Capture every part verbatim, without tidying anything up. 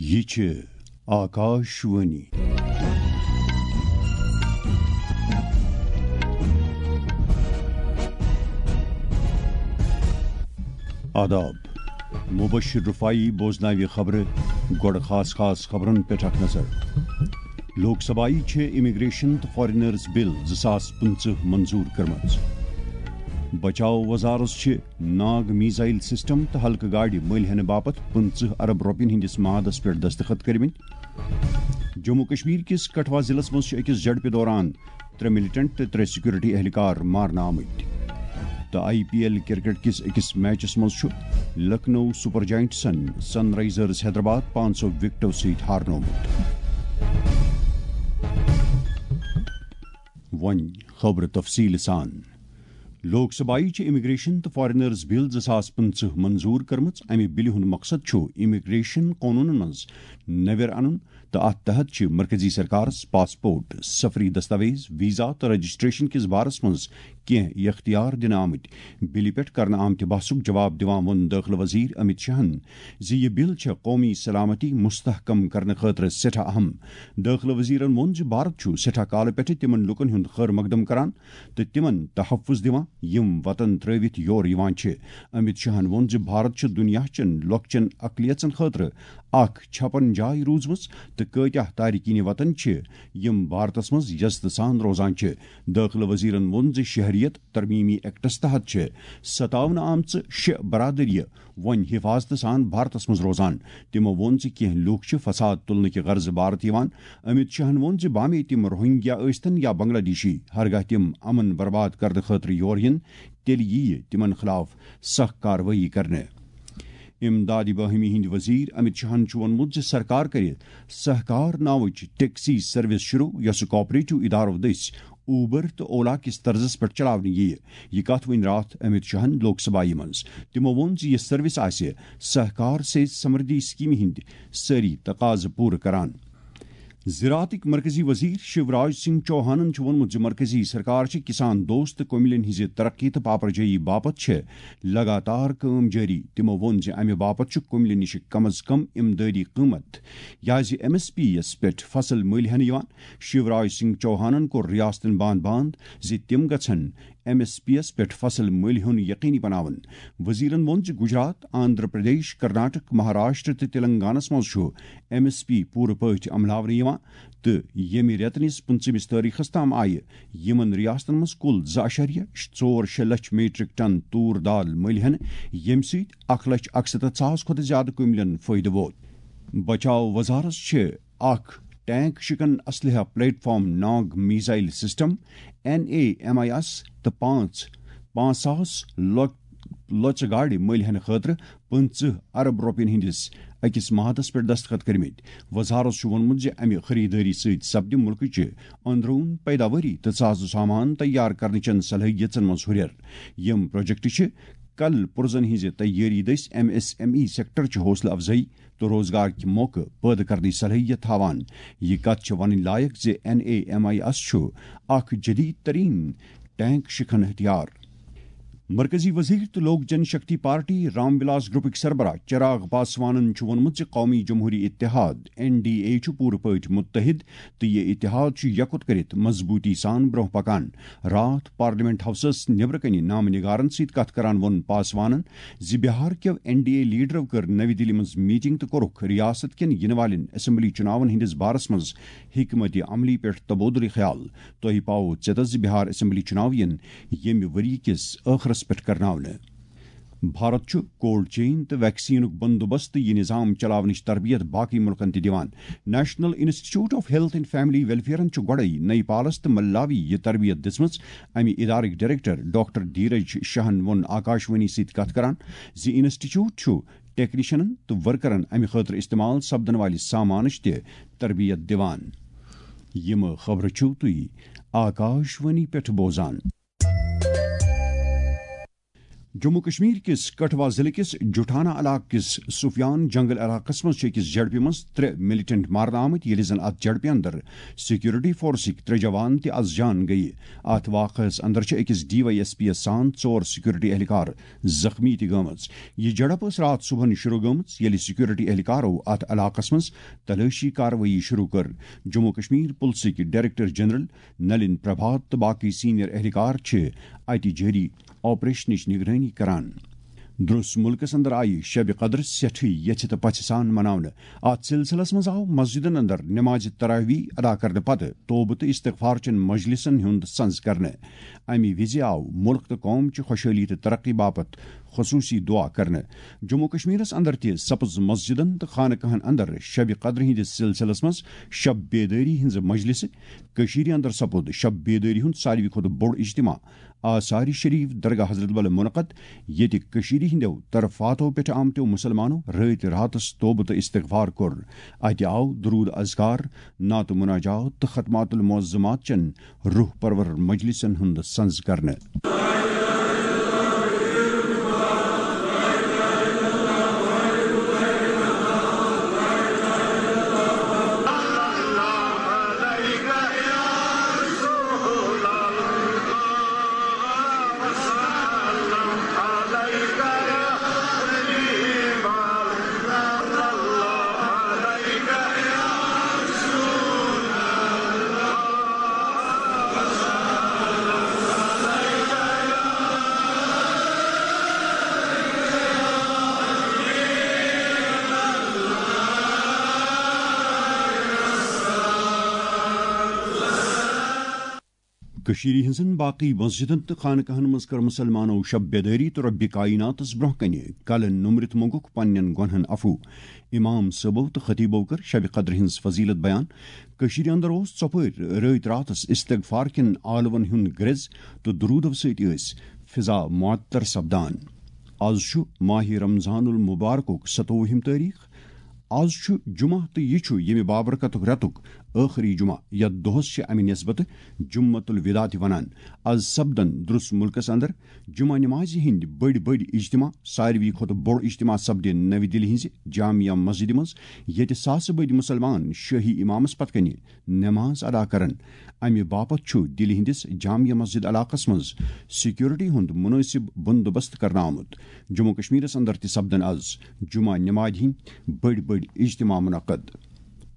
یہِ چھِ آکاش وانی۔ آداب۔ مبشر رفاعی بوزناوِ خبرٕ۔ گۄڈٕ خاص خاص خبرن پٮ۪ٹھ اکھ نظر۔ لوک سبھایہِ چھِ امیگریشن تہٕ فارینرز بل زٕ ساس پٕنٛژٕہ منظور کٔرمٕژ۔ بچاو وزارت چھِ ناگ میزائل سسٹم تہٕ ہلکہٕ گاڑِ مٔلۍ ہینہٕ باپتھ پٕنٛژٕہ ارب رۄپین ہٕنٛدِس معاہدس پٮ۪ٹھ دستخط کٔرمٕتۍ۔ جموں کشمیر کِس کٹھوا ضلعس منٛز چھِ أکِس جھڑپہِ دوران ترٛےٚ ملیٹنٹ تہٕ ترٛےٚ سیکورٹی اہلکار مارنہٕ آمٕتۍ۔ تہٕ آئی پی ایل کرکٹ کِس أکِس میچس منٛز چھُ لکھنؤ سپر جائنٹسن سن رائزرز حیدرآباد پانٛژو وکٹو سۭتۍ ہارنومُت۔ وۄنۍ خبرٕ تفصیٖل سان۔ لوک سبھایہِ چھِ امیگریشن تہٕ فارینرز بل زٕ ساس پٕنٛژٕہ منظور کٔرمٕژ۔ امہِ بلہِ ہُنٛد مقصد چھُ امیگریشن قونوٗنن منٛز نویر انُن تہٕ اتھ تحت چھِ مرکزی سرکارس پاسپورٹ، سفری دستاویز، ویزا تہٕ رجسٹریشن کِس بارس منٛز کینٛہہ اختیار دِنہٕ آمٕتۍ۔ بلہِ پٮ۪ٹھ کرنہٕ آمتہِ بحثُک جواب دِوان ووٚن دٲخلہٕ وزیر امت شاہن زِ یہِ بل چھےٚ قومی سلامتی مستحکم کرنہٕ خٲطرٕ سٮ۪ٹھاہ اہم۔ دٲخلہٕ وزیرن ووٚن زِ بھارت چھُ سٮ۪ٹھاہ کالہٕ پٮ۪ٹھٕ تِمن لوٗکن ہُنٛد خٲر مقدم کران تہٕ تِمن تحفظ دِوان، یِم وطن ترٲوِتھ یور یِوان چھِ۔ امت شاہن ووٚن زِ بھارت چھُ دُنیا چٮ۪ن لۄکچٮ۪ن اقلیژن خٲطرٕ اکھ چھپن جاے روٗزمٕژ تہٕ کۭتیاہ تارکین وطن چھِ، یِم بھارتس منٛز عزتہٕ سان روزان چھِ۔ دٲخلہٕ وزیرن ووٚن زِ شہریت ترمیمی ایکٹس تحت چھِ ستاونہٕ آمژٕ شےٚ برادریہِ وۄنۍ حفاظتہٕ سان بھارتس منٛز روزان۔ تِمو ووٚن زِ کینٛہہ لوٗکھ چھِ فساد تُلنہٕ کہِ غرضہٕ بھارت یِوان۔ امت شاہن ووٚن زِ بامے تِم روہنگیا ٲسۍتن یا بنگلہ دیشی، ہرگاہ تِم امن برباد کرنہٕ خٲطرٕ یور یِن، تیٚلہِ یِیہِ تِمن خلاف سخ کاروٲیی کرنہٕ۔ امدادِ باہمی ہٕنٛدۍ وزیر امت شاہن چھُ ووٚنمُت زِ سرکار کرِ سہکار ناوٕچ ٹیکسی سروس شروع، یۄسہٕ کوآپریٹو ادارو دٔسۍ اوبر تہٕ اولا کِس طرزس پٮ۪ٹھ چلاونہٕ یِیہِ۔ یہِ کتھ وُنۍ راتھ امت شاہن لوک سبھایہ منٛز۔ تِمو ووٚن زِ یہِ سروس آسہِ سہکار سے سمردھی سکیمہِ ہٕنٛدۍ سٲری تقاضہٕ پوٗرٕ کران۔ زراعتٕکۍ مرکزی وزیر شیوراج سنگھ چوہانن چھُ ووٚنمُت زِ مرکزی سرکار چھِ کسان دوست تہٕ کٔمِلٮ۪ن ہٕنٛزِ ترقی تہٕ پاپرجٲیی باپتھ چھِ لگاتار کٲم جٲری۔ تِمو ووٚن زِ امہِ باپتھ چھُ کٔمِلٮ۪ن نِش کم از کم امدٲدی قۭمتھ، یعنی زِ ایم ایس پی یَس پٮ۪ٹھ فصل مٔلۍ ہٮ۪نہٕ یِوان۔ شیوراج سنگھ چوہانن کوٚر ریاستن باند باند زِ تِم گژھن ایم ایس پی یَس پٮ۪ٹھ فصل مٔلۍ ہیوٚن یقینی بناوُن۔ وزیرن ووٚن زِ گجرات، آندھرا پردیش، کرناٹک، مہاراشٹر تہٕ تلنگانس منٛز چھُ ایم ایس پی پوٗرٕ پٲٹھۍ عملاونہٕ یِوان تہٕ ییٚمہِ رٮ۪تہٕ نِس پٕنٛژٕہمِس تٲریخس تام آیہِ یِمن ریاستن منٛز کُل زٕ اَشاریہ ژور شےٚ لچھ میٹرک ٹن تور دال مٔلۍ ہٮ۪نہٕ، ییٚمہِ سۭتۍ اکھ لچھ اکستتھ ساس کھۄتہٕ زِیٛادٕ کٔمِلٮ۪ن فٲیدٕ ووت۔ بچاو وزارت چھِ اکھ ٹینک شکن اسلحہ platform Nag missile system, N A M I S, تہٕ پانٛژھ، پانٛژھ ساس لۄ-، لۄژٕ گاڑِ مٔلۍ ہٮ۪نہٕ خٲطرٕ پٕنٛژٕہ ارب رۄپین ہٕنٛدِس أکِس معاہدس پٮ۪ٹھ دستخط کٔرمٕتۍ۔ وزارت چھُ ووٚنمُت زِ امہِ خریدٲری سۭتۍ سپدِ مُلکٕچہِ أنٛدروٗن پیداوٲری تہٕ ساز و سامان تیار کرنٕچن صلٲحیژن منٛز ہُرٮ۪ر۔ یِم پروجیکٹ چھِ کل پُرزن ہٕنٛزِ تیٲری دٔسۍ M S M E sector چہِ حوصلہٕ افزٲیی تہٕ روزگار کہِ موقعہٕ پٲدٕ کرنٕچ صلٲحیت تھاوان۔ یہِ کتھ چھِ ونٕنۍ لایق زِ N A M I S چھُ اکھ جدید ترین ٹینک شکن ہتھیار۔ مرکزی وزیر تہٕ لوک جن شکتی پارٹی رام ولاس گروپٕکۍ سربراہ چراغ پاسوانن چھُ ووٚنمُت زِ قومی جمہوری اتحاد، این ڈی اے، چھُ پوٗرٕ پٲٹھۍ متحد تہٕ یہِ اتحاد چھُ یکوت کٔرِتھ مضبوٗطی سان برٛونٛہہ پکان۔ راتھ پارلیمنٹ ہاؤسس نیبرٕ کنہِ نامہ نگارن سۭتۍ کتھ کران ووٚن پاسوانن زِ بہار کیو این ڈی اے لیڈرو کٔر نَوِ دِلہِ منٛز میٹنگ تہٕ کوٚرُکھ ریاست کٮ۪ن یِنہٕ والٮ۪ن اسمبلی چُناون ہٕنٛدِس بارس منٛز حکمت عملی پٮ۪ٹھ تبادلہٕ خیال۔ تۄہہِ پاوو ژیتس زِ بہار اسمبلی چُناو یِن ییٚمہِ ؤرۍ یہِ کِس ٲخرس پٮ۪ٹھ کرناونہٕ۔ بھارت چھُ کولڈ چین تہٕ ویکسینُک بندوبست تہٕ یہِ نظام چلاونٕچ تربیت باقی ملکن تہِ دِوان۔ National institute of health and family ویلفیئرن چھُ گۄڈَے نیپالس تہٕ ملاوی یہِ تربیت دِژمٕژ۔ امہِ ادارٕکۍ ڈائریکٹر ڈاکٹر دھیرج شاہن ووٚن آکاشوانی سۭتۍ کتھ کران زِ انسٹیٹیوٹ چھُ ٹیکنیشنن تہٕ ورکرن امہِ خٲطرٕ استعمال سپدن والہِ سامانٕچ تہِ تربیت دِوان۔ یِم خبرٕ چھِو تُہۍ آکاشوانی پٮ۪ٹھ بوزان۔ جموں کشمیر کِس کٹھوا ضلعہٕ کِس جٹھانہ علاقہٕ کِس سفیان جنگل علاقس منٛز چھِ أکِس جھڑپہِ منٛز ترٛےٚ ملیٹنٹ مارنہٕ آمٕتۍ، ییٚلہِ زن اتھ جھڑپہِ اندر سیکورٹی فورسٕکۍ ترٛےٚ جوان تہِ از جان گٔیہِ۔ اتھ واقعس اندر چھِ أکِس ڈی وائی ایس پی یَس سان ژور سیکورٹی اہلکار زخمی تہِ گٔمٕژ۔ یہِ جھڑپ ٲس راتھ صبحن شروع گٔمٕژ، ییٚلہِ سیکورٹی اہلکارو اتھ علاقس منٛز تلٲشی کاروٲیی شروع کٔر۔ جموں کشمیر پُلسٕکۍ ڈائریکٹر جنرل نلن پربھات تہٕ باقی سینئر اہلکار چھِ اتہِ جٲری آپریشنٕچ نگرٲنی کران۔ درس ملکس اندر آیہِ شب قدر سٮ۪ٹھٕے یژھِ تہٕ پژھِ سان مناونہٕ۔ اتھ سلسلس منٛز آو مسجدن اندر نماز تراویح ادا کرنہٕ پتہٕ توبہٕ تہٕ استغفار چٮ۪ن مجلسن ہُنٛد سنز کرنہٕ۔ امہِ وِزِ آو ملک تہٕ قوم چہِ خۄشحٲلی تہٕ ترقی باپتھ خصوصی دعا کرنہٕ۔ جموں کشمیرس اندر تہِ سپٕز مسجدن تہٕ خانقاہن اندر شب قدر ہٕنٛدِس سلسلس منٛز شب بیدٲری ہٕنٛز مجلسہٕ۔ کٔشیٖرِ اندر سپُد شب بیدٲری ہُنٛد ساروی کھۄتہٕ بوٚڑ اجتماع آثار شریف درگاہ حضرت بل منعقد، ییٚتہِ کٔشیٖرِ ہٕنٛدیو طرفاتو پٮ۪ٹھ آمتیو مُسلمانو رٲتۍ راتس توبہٕ تہٕ استغفار کوٚر۔ اتہِ آو درود اذکار، نعت مناجات تہٕ ختمات المعظمات چٮ۪ن روح پرور مجلسن ہُنٛد سنز کرنہٕ۔ کٔشیٖرِ ہٕنٛزن باقٕے مسجدن تہٕ خانقاہن منٛز کٔر مُسلمانو شب بیدٲری تہٕ رۄبِ کایناتس برٛونٛہہ کنہِ کلہٕ نوٚمرِتھ مۄنٛگُکھ پننٮ۪ن گۄنہن عفو۔ امام صٲبو تہٕ خطیبو کٔر شب قدر ہٕنٛز فضیلت بیان۔ کٔشیٖرِ اندر اوس ژۄپٲرۍ رٲتۍ راتس استغفار کٮ۪ن آلون ہُنٛد گرٛز تہٕ درودو سۭتۍ ٲسۍ فضا معطر سپدان۔ از چھُ ماہِ رمضان المبارکُک ستووُہِم تٲریخ۔ از چھُ جمعہ تہٕ یہِ چھُ ییٚمہِ بابرکتُک رٮ۪تُک ٲخری جمعہ، یتھ دۄہس چھِ امہِ نسبتہٕ جمعۃ الوداع تہِ ونان۔ از سپدن درس ملکس اندر جمعہ نمازِ ہٕنٛدۍ بٔڑۍ بٔڑۍ اجتماع۔ ساروی کھۄتہٕ بوٚڑ اجتماع سپدِ نوِ دِلہِ ہٕنٛزِ جامع مسجدِ منٛز، ییٚتہِ ساسہٕ بٔدۍ مُسلمان شٲہی امامس پتہٕ کنہِ نماز ادا کرن۔ امہِ باپتھ چھُ دِلہِ ہٕنٛدِس جامع مسجد علاقس منٛز سیکورٹی ہُنٛد مُنٲسِب بندوبست کرنہٕ آمُت۔ جموں کشمیرس اندر تہِ سپدن از جمعہ نمازِ ہٕنٛدۍ بٔڑۍ بٔڑۍ اجتماع منعقد۔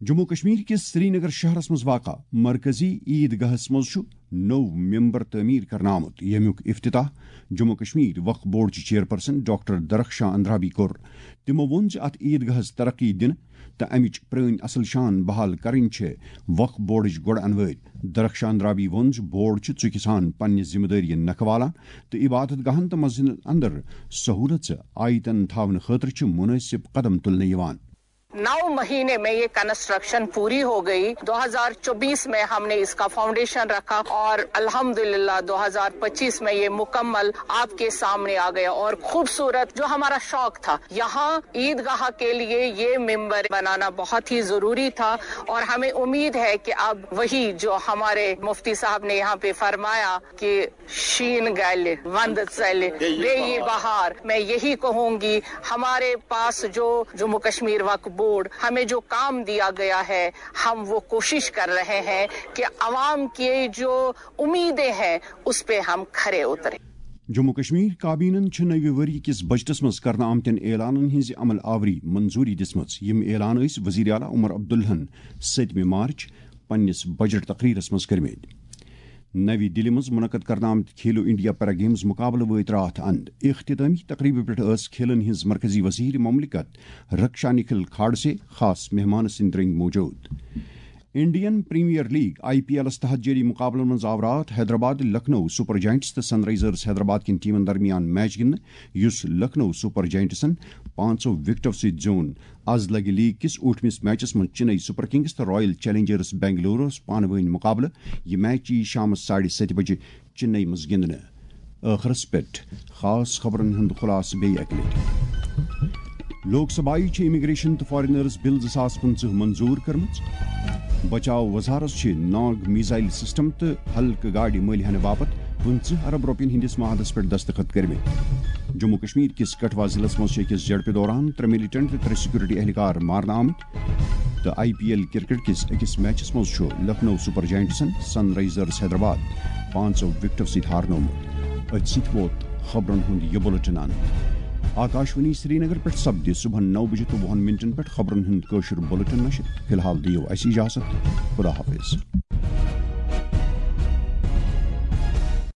جموں کشمیر کِس سرینگر شہرس منٛز واقع مرکزی عیدگاہس منٛز چھُ نوٚو ممبر تعمیٖر کرنہٕ آمُت، ییٚمیُک افتتاح جموں کشمیر وقف بورڈ چہِ چیئرپرسن ڈاکٹر درخشاں اندرابی کوٚر۔ تِمو ووٚن زِ اتھ عیدگاہس ترقی دِنہٕ تہٕ امِچ پرٲنۍ اصل شان بحال کرٕنۍ چھِ وقف بورڈٕچ گۄڈٕ انوٲرۍ۔ درخشاں اندرابی ووٚن زِ بورڈ چھُ ژُکہِ سان پننہِ ذمہٕ دٲری نکھٕ والان تہٕ عبادت گاہن تہٕ مسجدن اندر سہولژٕ آیتن تھاونہٕ خٲطرٕ چھِ مُنٲسِب قدم تُلنہٕ یِوان۔ نو مہینے میں یہ کنسٹرکشن پوری ہو گئی۔ دو ہزار چوبیس میں ہم نے اس کا فاؤنڈیشن رکھا اور الحمدللہ دو ہزار پچیس میں یہ مکمل آپ کے سامنے آ گیا اور خوبصورت جو ہمارا شوق تھا یہاں عید گاہ کے لیے یہ ممبر بنانا بہت ہی ضروری تھا اور ہمیں امید ہے کہ اب وہی جو ہمارے مفتی صاحب نے یہاں پہ فرمایا کہ شین گلہِ، وند ژلہِ، بیٚیہِ یی بہار۔ میں یہی کہوں گی، ہمارے پاس جو جموں کشمیر وقف بورڈ ہمیں جو کام دیا گیا ہے، ہم وہ کوشش کر رہے ہیں کہ عوام کی جو امیدیں ہیں اس پہ ہم کھرے اتریں۔ جموں کشمیر کابینن چھِ نوِ ؤری کِس بجٹس منٛز کرنہٕ آمتٮ۪ن اعلانن ہٕنٛزِ عمل آوری منظوری دِژمٕژ۔ یِم اعلان ٲسۍ وزیر اعلیٰ عمر عبداللہن ستمہِ مارچ پننِس بجٹ تقریرس منٛز کٔرمٕتۍ۔ نوِ دِلہِ منٛز منعقد کرنہٕ آمتۍ کھیلو انڈیا پیرا گیمز مقابلہٕ وٲتۍ راتھ اند۔ اختتٲمی تقریبہِ پٮ۪ٹھ ٲس کھیلن ہٕنٛز مرکزی وزیر مملکت رکشا نکھل کھاڈسے خاص مہمان سٕنٛدۍ رٔنگۍ موجود۔ Indian Premier League I P ایلس تحت جٲری مقابلن منٛز آو راتھ حیدرآباد لکھنؤ سپر جائنٹس تہٕ سن رائزرز حیدرآباد کٮ۪ن ٹیمن درمیان میچ گِنٛدنہٕ، یُس لکھنؤ سپر جائنٹسن پانٛژو وکٹو سۭتۍ زیوٗن۔ از لگہِ لیگ کِس ٲٹھمِس میچس منٛز چنئی سپر کنگز تہٕ رائل چیلنجرز بنگلورس پانہٕ وٲنۍ مقابلہٕ۔ یہِ میچ یِیہِ شامس ساڑِ ستہِ بجہِ چنئی منٛز گِنٛدنہٕ۔ ٲخرس پٮ۪ٹھ خاص خبرن ہُنٛد خلاصہٕ بیٚیہِ اکہِ لٹہِ۔ لوک سبھایہ چھِ امیگریشن تہٕ فارینرز بل زٕ ساس پٕنٛژٕہ منظور کٔرمٕژ۔ بچاو وزارت چھِ ناگ میزائل سسٹم تہٕ ہلکہٕ گاڑِ مٔلۍ ہینہٕ باپتھ پٕنٛژٕہ ارب رۄپین ہٕنٛدِس معاہدس پٮ۪ٹھ دستخط کٔرمٕتۍ۔ جموں کشمیر کِس کٹھوا ضلعس منٛز چھِ أکِس جھڑپہِ دوران ترٛےٚ ملیٹنٹ تہٕ ترٛےٚ سیکورٹی اہلکار مارنہٕ آمٕتۍ تہٕ آئی پی ایل کرکٹ کِس أکِس میچس منٛز چھُ لکھنؤ سپر جائنٹسن سن رائزرز حیدرآباد پانٛژو وکٹو سۭتۍ ہارنومُت۔ أتھۍ سۭتۍ ووت خبرن ہُنٛد یہِ بُلٹن اند۔ آکاشوانی سرینگر پٮ۪ٹھ سپدِ صبحن نو بجے تہٕ وُہن منٹن پٮ۪ٹھ خبرن ہُنٛد کٲشُر بُلٹن نشر۔ فی الحال دِیِو اَسہِ اجازت۔ خدا حافظ۔